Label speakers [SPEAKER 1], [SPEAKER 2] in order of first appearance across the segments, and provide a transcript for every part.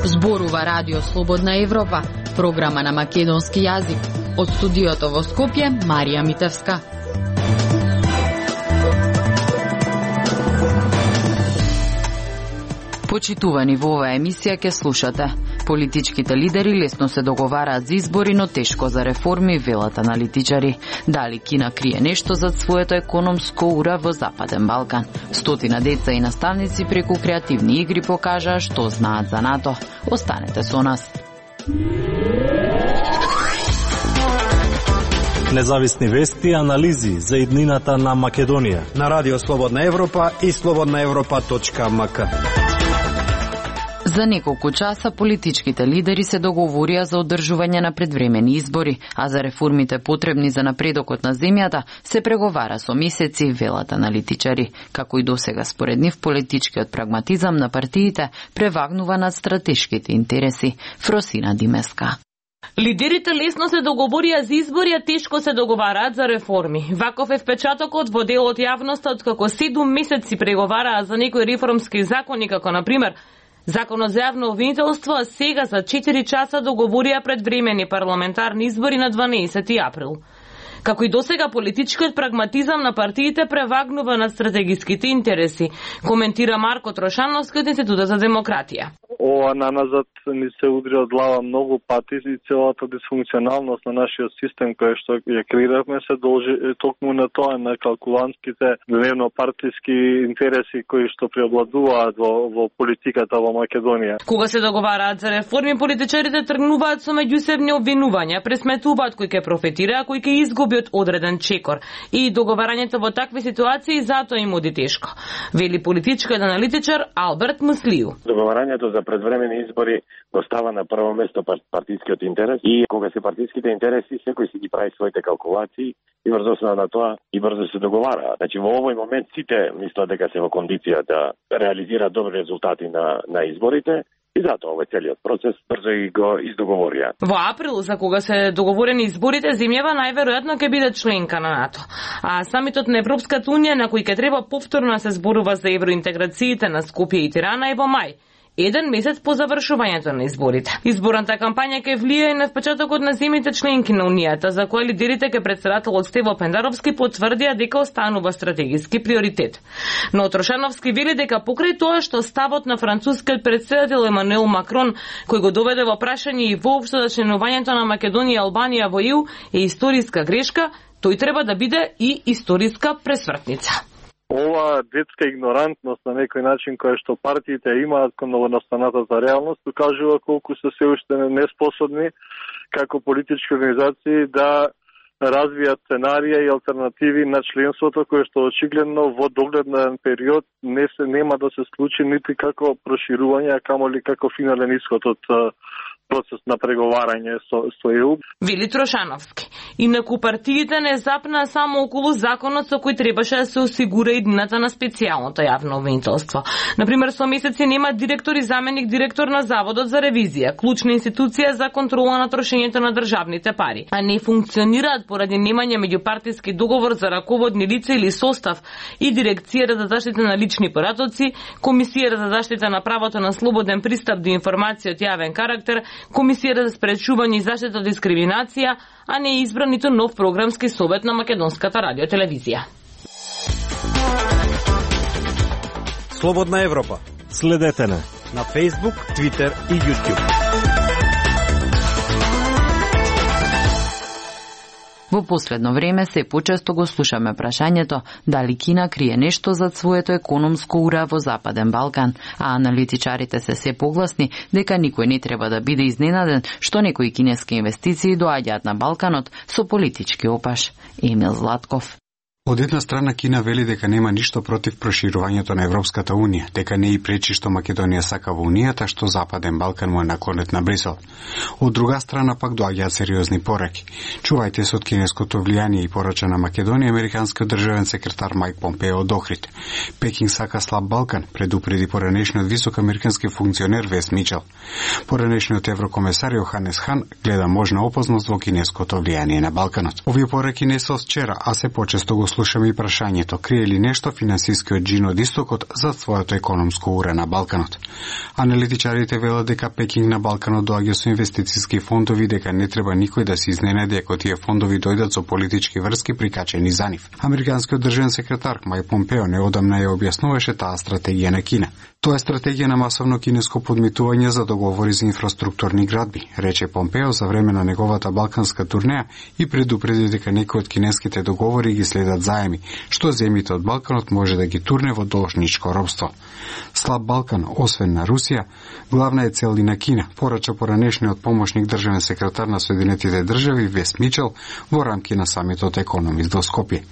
[SPEAKER 1] Зборува Радио Слободна Европа, програма на македонски јазик. Од студиото во Скопје, Марија Митевска. Почитувани, во оваа емисија ќе слушате: политичките лидери лесно се договараат за избори, но тешко за реформи, велат аналитичари. Дали Кина крие нешто зад своето економско ура во Западен Балкан? Стотина деца и наставници преку креативни игри покажаа што знаат за НАТО. Останете со нас.
[SPEAKER 2] Независни вести и анализи за иднината на Македонија
[SPEAKER 3] на Радио Слободна Европа и slobodnaevropa.mk.
[SPEAKER 1] За неколку часа политичките лидери се договорија за одржување на предвремени избори, а за реформите потребни за напредокот на земјата се преговара со месеци, велат аналитичари. Како и досега, според нив, политичкиот прагматизам на партиите превагнува над стратешките интереси. Фросина Димеска.
[SPEAKER 4] Лидерите лесно се договорија за избори, а тешко се договараат за реформи. Ваков е впечатокот во дел од јавноста, откако 7 месеци преговараа за некои реформски закони, како например Законот за јавно обвинителство, а сега за 4 часа договорија предвремени парламентарни избори на 12 април. Како и досега, политичкиот прагматизам на партиите превагнува над стратегиските интереси, коментира Марко Трошановски од Институтот за демократија.
[SPEAKER 5] Ова наназад ни се удри од глава многу пати и целата дисфункционалност на нашиот систем кој што ја креиравме се должи токму на тоа, на калкулантските дневно-партиски интереси кои што преобладуваат во политиката во Македонија.
[SPEAKER 4] Кога се договараат за реформи, политичарите тргнуваат со меѓусебни обвинувања, пресметуваат кој ќе профитира, а кој ќе изгуби од одреден чекор. И договарањето во такви ситуации затоа им оди тешко, вели политичкиот аналитичар Алберт Муслију.
[SPEAKER 6] Договарањето за предвремени избори го става на прво место партискиот интерес и кога се партиските интереси, секој си ги прави своите калкулации и врз основа на тоа и брзо се договара. Значи во овој момент сите мислат дека се во кондиција да реализираат добри резултати на изборите. И затоа овој целиот процес брзо и го издоговорија.
[SPEAKER 4] Во април, за кога се договорени изборите, земјава најверојатно ќе биде членка на НАТО. А самитот на Европската унија, на кој ќе треба повторно се зборува за евроинтеграциите на Скопје и Тирана, е во мај, еден месец по завршувањето на изборите. Изборната кампања ќе влијае на впечатокот на земјите членки на Унијата, за која лидерите ке председателот Стево Пендаровски потврдија дека останува стратегиски приоритет. Но Трошановски вели дека покрај тоа што ставот на францускиот председател Емануел Макрон, кој го доведе во прашање и воопшто за членувањето на Македонија и Албанија во ЕУ, е историска грешка, тој треба да биде и историска пресвртница.
[SPEAKER 5] Ова детска игнорантност на некој начин која што партиите имаат кон новонастаната за реалност покажува колку се уште неспособни како политички организации да развијат сценарија и алтернативи на членството кое што очигледно во догледен период нема да се случи нити како проширување, а камоли како финален исход од процес на преговарање со ЕУ.
[SPEAKER 4] Вели Трошановски. Инаку партиите не запнаа само околу законот со кој требаше да се осигура иднината на специјалното јавно обвинителство. Например, со месеци нема директор и заменик директор на Заводот за ревизија, клучна институција за контрола на трошењето на државните пари, а не функционираат поради немање меѓупартиски договор за раководни лица или состав и Дирекцијата за заштита на лични поратоци, Комисијата за заштита на правото на слободен пристап до информација од јавен карактер, Комисијата за спречување и заштита од дискриминација, а не е избран ниту нов програмски совет на Македонската радиотелевизија.
[SPEAKER 3] Слободна Европа.
[SPEAKER 2] Следете на
[SPEAKER 3] Facebook, Twitter и YouTube.
[SPEAKER 1] Во последно време се почесто го слушаме прашањето дали Кина крие нешто зад своето економско ура во Западен Балкан, а аналитичарите се погласни дека никој не треба да биде изненаден што некои кинески инвестиции доаѓаат на Балканот со политички опаш. Емил Златков.
[SPEAKER 7] Од една страна Кина вели дека нема ништо против проширувањето на Европската Унија, дека не и пречи што Македонија сака во Унијата, што Западен Балкан му е наклонет на Брисел. Од друга страна пак доаѓаат сериозни пораки. Чувајте се од кинеското влијание и порача на Македонија американскиот државен секретар Майк Помпео од Охрид. Пекинг сака слаб Балкан, предупреди поранешниот висок американски функционер Вес Мичел. Поранешниот еврокомесар Јоханес Хан гледа можна опасност во кинеското влијание на Балканот. Овие пораки не се од вчера, а се почесто го слушаме и прашањето, крие ли нешто финансискиот джин од истокот за своето економско уре на Балканот. Аналитичарите велат дека Пекинг на Балканот доаѓа со инвестициски фондови, дека не треба никој да се изненади ако тие фондови дојдат со политички врски прикачени за нив. Американскиот државен секретар Майк Помпео неодамна ја објаснуваше таа стратегија на Кина. Тоа е стратегија на масовно кинеско подмитување за договори за инфраструктурни градби, рече Помпео за време на неговата балканска турнеја и предупреди дека некои од кинеските договори ги следат заеми, што земјите од Балканот може да ги турне во должничко робство. Слаб Балкан, освен на Русија, главна е цел и на Кина, порача поранешниот помошник државен секретар на Соединетите држави Вес Мичел во рамки на самитот Економис во Скопје.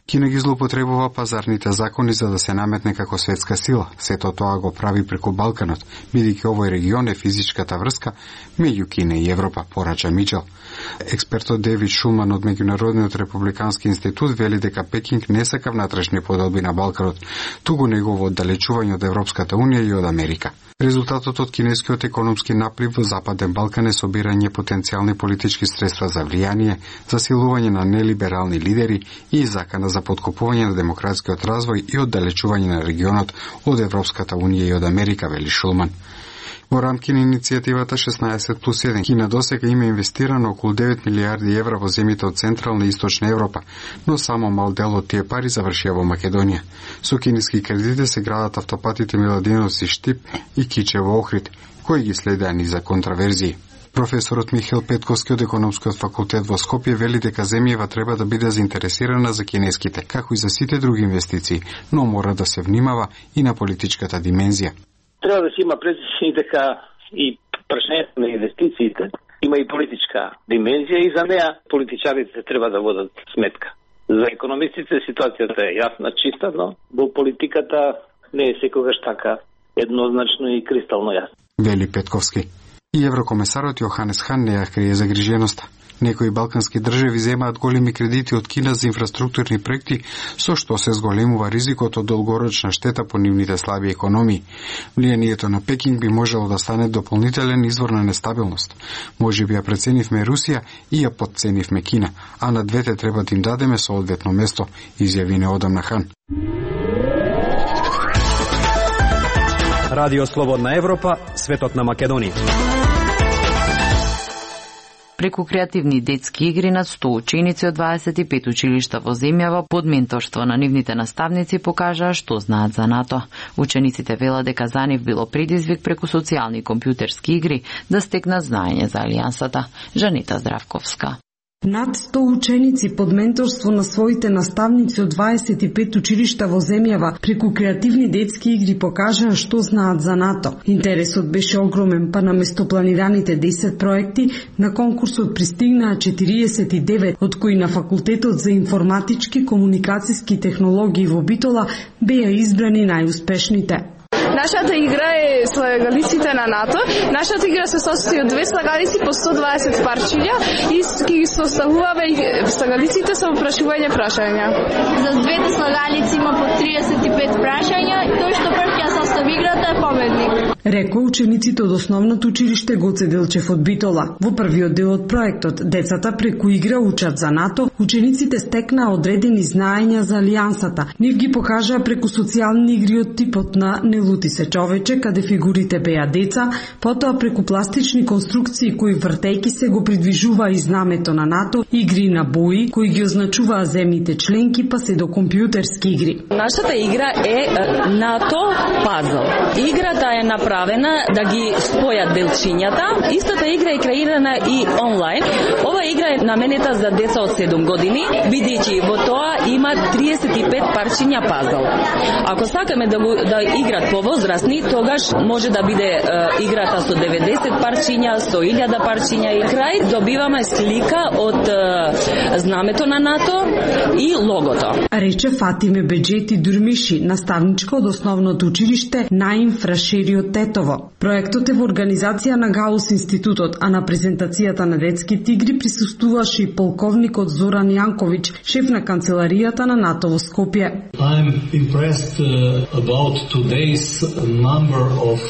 [SPEAKER 7] Кина ги злоупотребува пазарните закони за да се наметне како светска сила. Сето тоа го прави преку Балканот, бидејќи овој регион е физичката врска меѓу Кина и Европа, порача Мичел. Експертот Девид Шулман од Меѓународниот републикански институт вели дека Пекинг не сака внатрешни поделби на Балканот, туку негово оддалечување од Европската Унија и од Америка. Резултатот од кинескиот економски наплив во Западен Балкан е собирање потенцијални политички средства за влијание, засилување на нелиберални лидери и закана за подкопување на демократскиот развој и оддалечување на регионот од Европската Унија и од Америка, вели Шулман. Во рамки на иницијативата 16+1, Кина досега има инвестирано околу 9 милиарди евра во земјите од Централна и Источна Европа, но само мал дел од тие пари завршија во Македонија. Со кинески кредити се градат автопатите Миладиновци Штип и Киче во Охрид, кои ги следеа низа контраверзии. Професорот Михаил Петковски од Економскиот факултет во Скопје вели дека земјава треба да биде заинтересирана за кинеските, како и за сите други инвестиции, но мора да се внимава и на политичката димензија.
[SPEAKER 8] Треба да се има предвид дека и прашањето на инвестициите има и политичка димензија и за неа политичарите треба да водат сметка. За економистите ситуацијата е јасна, чиста, но во политиката не е секогаш така еднозначно и кристално јасно.
[SPEAKER 7] Вели Петковски. И еврокомесарот Јоханес Хан не ја крие загриженоста. Некои балкански држави земаат големи кредити од Кина за инфраструктурни проекти, со што се зголемува ризикот од долгорочна штета по нивните слаби економии. Влијанието на Пекинг би можело да стане дополнителен извор на нестабилност. Може би ја преценивме Русија и ја подценивме Кина, а на двете треба да им дадеме соодветно место, изјави неодамна Хан.
[SPEAKER 3] Радио Слободна Европа, светот на Македонија.
[SPEAKER 1] Преку креативни детски игри над 100 ученици од 25 училишта во земјава под менторство на нивните наставници покажаа што знаат за НАТО. Учениците велат дека за нив било предизвик преку социјални компјутерски игри да стекнат знаење за Алијансата. Жанета Здравковска.
[SPEAKER 9] Над 100 ученици под менторство на своите наставници од 25 училишта во земјава преку креативни детски игри покажаа што знаат за НАТО. Интересот беше огромен, па наместо планираните 10 проекти, на конкурсот пристигнаа 49, од кои на Факултетот за информатички комуникацијски технологии во Битола беа избрани најуспешните.
[SPEAKER 10] Нашата игра е слагалиците на НАТО. Нашата игра се состои од 2 слагалици по 120 парчиња и ги составуваме слагалиците со прашања.
[SPEAKER 11] За двете слагалици има по 35 прашања и тој што прв ќе состави играта е победник.
[SPEAKER 9] Рекоа учениците од основното училиште Гоце Делчев од Битола. Во првиот дел од проектот, децата преку игра учат за НАТО, учениците стекнаа одредени знаења за Алијансата. Нив ги покажаа преку социјални игри од типот на Не лути се човече, каде фигурите беа деца, потоа преку пластични конструкции кои вртејки се го придвижува и знамето на НАТО, игри на бои кои ги означуваа земјите членки, па се до компјутерски игри.
[SPEAKER 12] Нашата игра е НАТО пазл. Играта е направена да ги спојат делчињата. Истата игра е креирана и онлайн. Ова игра е наменета за деца од 7 години, бидејќи во тоа има 35 парчиња пазл. Ако сакаме да играт повоз, повозрастни, тогаш може да биде играта со 90 парчиња, со 1000 парчиња и крај добиваме слика од знамето на НАТО и логото.
[SPEAKER 9] Рече Фатиме Беджети Дурмиши, наставничка од основното училиште Наим Фрашери од Тетово. Проектот е во организација на Гаус институтот, а на презентацијата на детските игри присуствуваше и полковникот Зоран Јанковиќ, шеф на канцеларијата на НАТО во Скопје.
[SPEAKER 13] I'm impressed about today's number of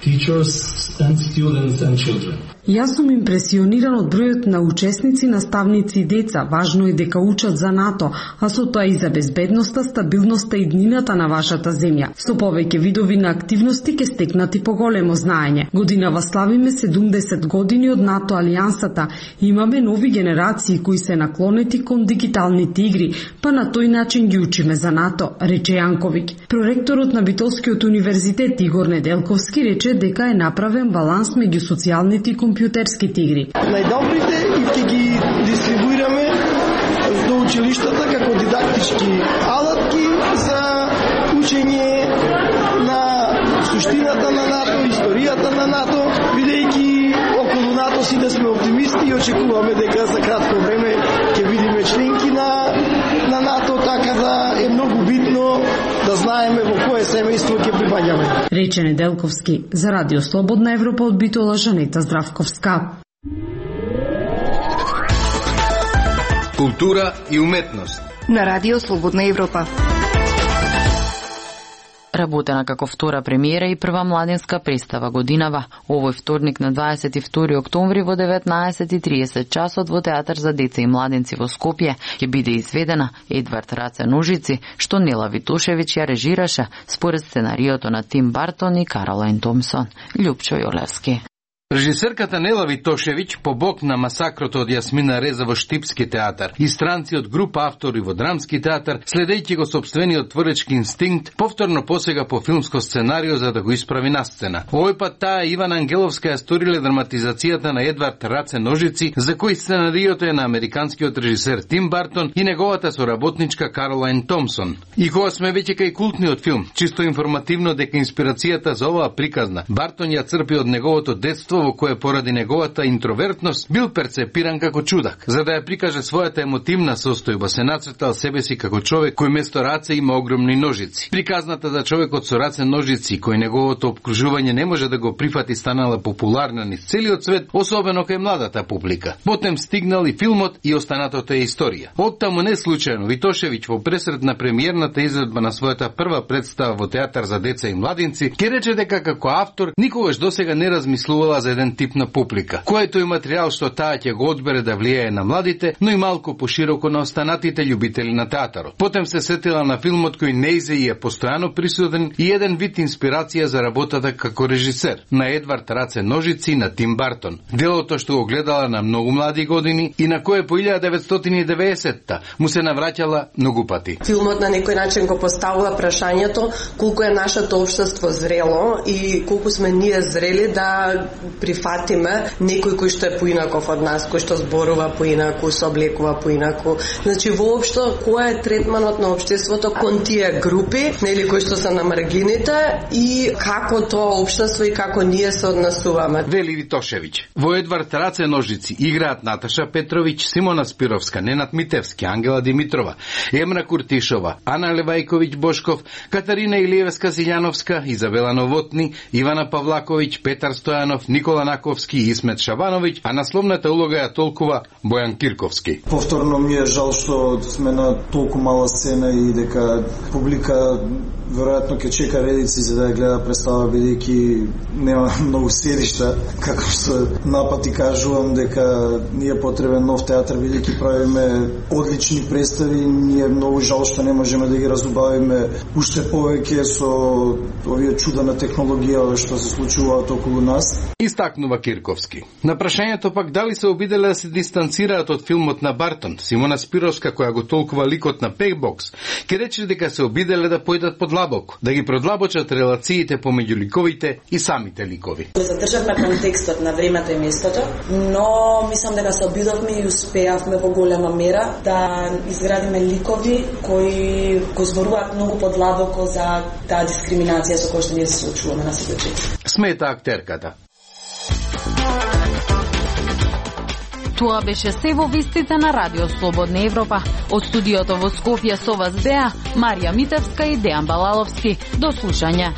[SPEAKER 13] teachers and students and children.
[SPEAKER 9] Јас сум импресиониран од бројот на учесници, наставници и деца. Важно е дека учат за НАТО, а со тоа и за безбедноста, стабилноста и иднината на вашата земја. Со повеќе видови на активности ќе стекнати поголемо знаење. Годинава славиме 70 години од НАТО алијансата. Имаме нови генерации кои се наклонети кон дигиталните игри, па на тој начин ги учиме за НАТО, рече Јанковиќ. Проректорот на Битолскиот универзитет Игор Неделковски рече дека е направен баланс меѓу социјалните и компјутерските игри.
[SPEAKER 14] Најдобрите и ќе ги дистрибуираме до училиштата како дидактички алатки за учење на суштината на НАТО, историјата на НАТО, бидејќи околу НАТО сите сме оптимисти и очекуваме дека за кратко време ќе видиме членки на НАТО, така да е многу битно да знаеме во кое семејство ќе припаѓаме.
[SPEAKER 9] Рече Неделковски за Радио Слободна Европа од Битола Жанета Здравковска.
[SPEAKER 15] Култура и уметност
[SPEAKER 16] на Радио Слободна Европа.
[SPEAKER 1] Работена како втора премиера и прва младинска представа годинава. Овој вторник на 22 октомври во 19:30 часот во Театар за деца и младинци во Скопје ќе биде изведена Едвард Раце Ножици, што Нела Витошевиќ ја режираше според сценариото на Тим Бартон и Каролайн Томсон. Љупчо Јолевски.
[SPEAKER 15] Режисерката Нела Витошевиќ, по бок на масакрото од Јасмина Реза во Штипски театар и странци од група автори во Драмски театар, следејќи го сопствениот творечки инстинкт, повторно посега по филмско сценарио за да го исправи на сцена. Овој пат таа Ивана Ангеловска ја сториле драматизацијата на Едвард Раце Ножици, за кој сценариото е на американскиот режисер Тим Бартон и неговата соработничка Каролайн Томсон. И кога сме веќе кај култниот филм, чисто информативно дека инспирацијата за оваа приказна Бартон ја црпи од неговото детство, во кое поради неговата интровертност бил перцепиран како чудак. За да ја прикаже својата емотивна состојба, се нацртал себе си како човек кој место раце има огромни ножици. Приказната за човекот со раце ножици, кој неговото обкружување не може да го прифати, станала популарна низ целиот свет, особено кај младата публика. Потем стигнал и филмот и останатото е историја. Оттаму не случајно Витошевиќ во пресред на премиерната изvedба на својата прва представа во Театар за деца и младинци ќе рече дека како автор никогаш досега не размислувала за еден тип на публика, което и материјал што таа ќе го одбере да влијае на младите, но и малку пошироко на останатите љубители на театарот. Потем се сетила на филмот кој неизе и е постојано присутен и еден вид инспирација за работата како режисер на Едвард Раце Ножици на Тим Бартон. Делото што го гледала на многу млади години и на кое по 1990-та му се навраќала многу пати.
[SPEAKER 17] Филмот на некој начин го поставува прашањето колку е нашето општество зрело и колку сме ние зрели да прифатиме некој кој што е поинаков од нас, кој што зборува поинаку, се облекува поинаку. Значи воопшто кој е третманот на општеството кон тие групи, нели, кои што се на маргините и како тоа општество и како ние се однесуваме.
[SPEAKER 15] Вели Витошевиќ. Во Едвард Раце Ножици играат Наташа Петровиќ, Симона Спировска, Ненад Митевски, Ангела Димитрова, Емра Куртишова, Ана Левајковиќ Бошков, Катарина Илиевска Силјановска, Изабела Новотни, Ивана Павлаковиќ, Петар Стојанов, Никола Наковски и Исмет Шабановиќ, а насловната улога ја толкува Бојан Кирковски.
[SPEAKER 18] Повторно ми е жал што сме на толку мала сцена и дека публика веројатно ќе чека редици за да ја гледа представа, бидејќи нема многу седишта. Како што напати кажувам дека ни е потребен нов театар, бидејќи правиме одлични представи, ни е многу жал што не можеме да ги разубавиме уште повеќе со овие чуда на технологија што се случуваат околу нас.
[SPEAKER 15] Истакнува Кирковски. На прашањето пак дали се обиделе да се дистанцираат од филмот на Бартон, Симона Спировска, која го толкува ликот на Пейбокс, ќе рече дека се обиделе да појдат под подлабоко, да ги продлабочат релациите помеѓу ликовите и самите ликови.
[SPEAKER 19] Задржавме контекстот на времето и местото, но мислам дека се обидовме и успеавме во голема мера да изградиме ликови кои го зборуваат многу подлабоко за таа дискриминација со која што ние се соочуваме на секој чин.
[SPEAKER 15] Смета актерката.
[SPEAKER 1] Тоа беше се во вестите на Радио Слободна Европа. Од студиото во Скопје со вас беа Марија Митевска и Дејан Балаловски. До слушање.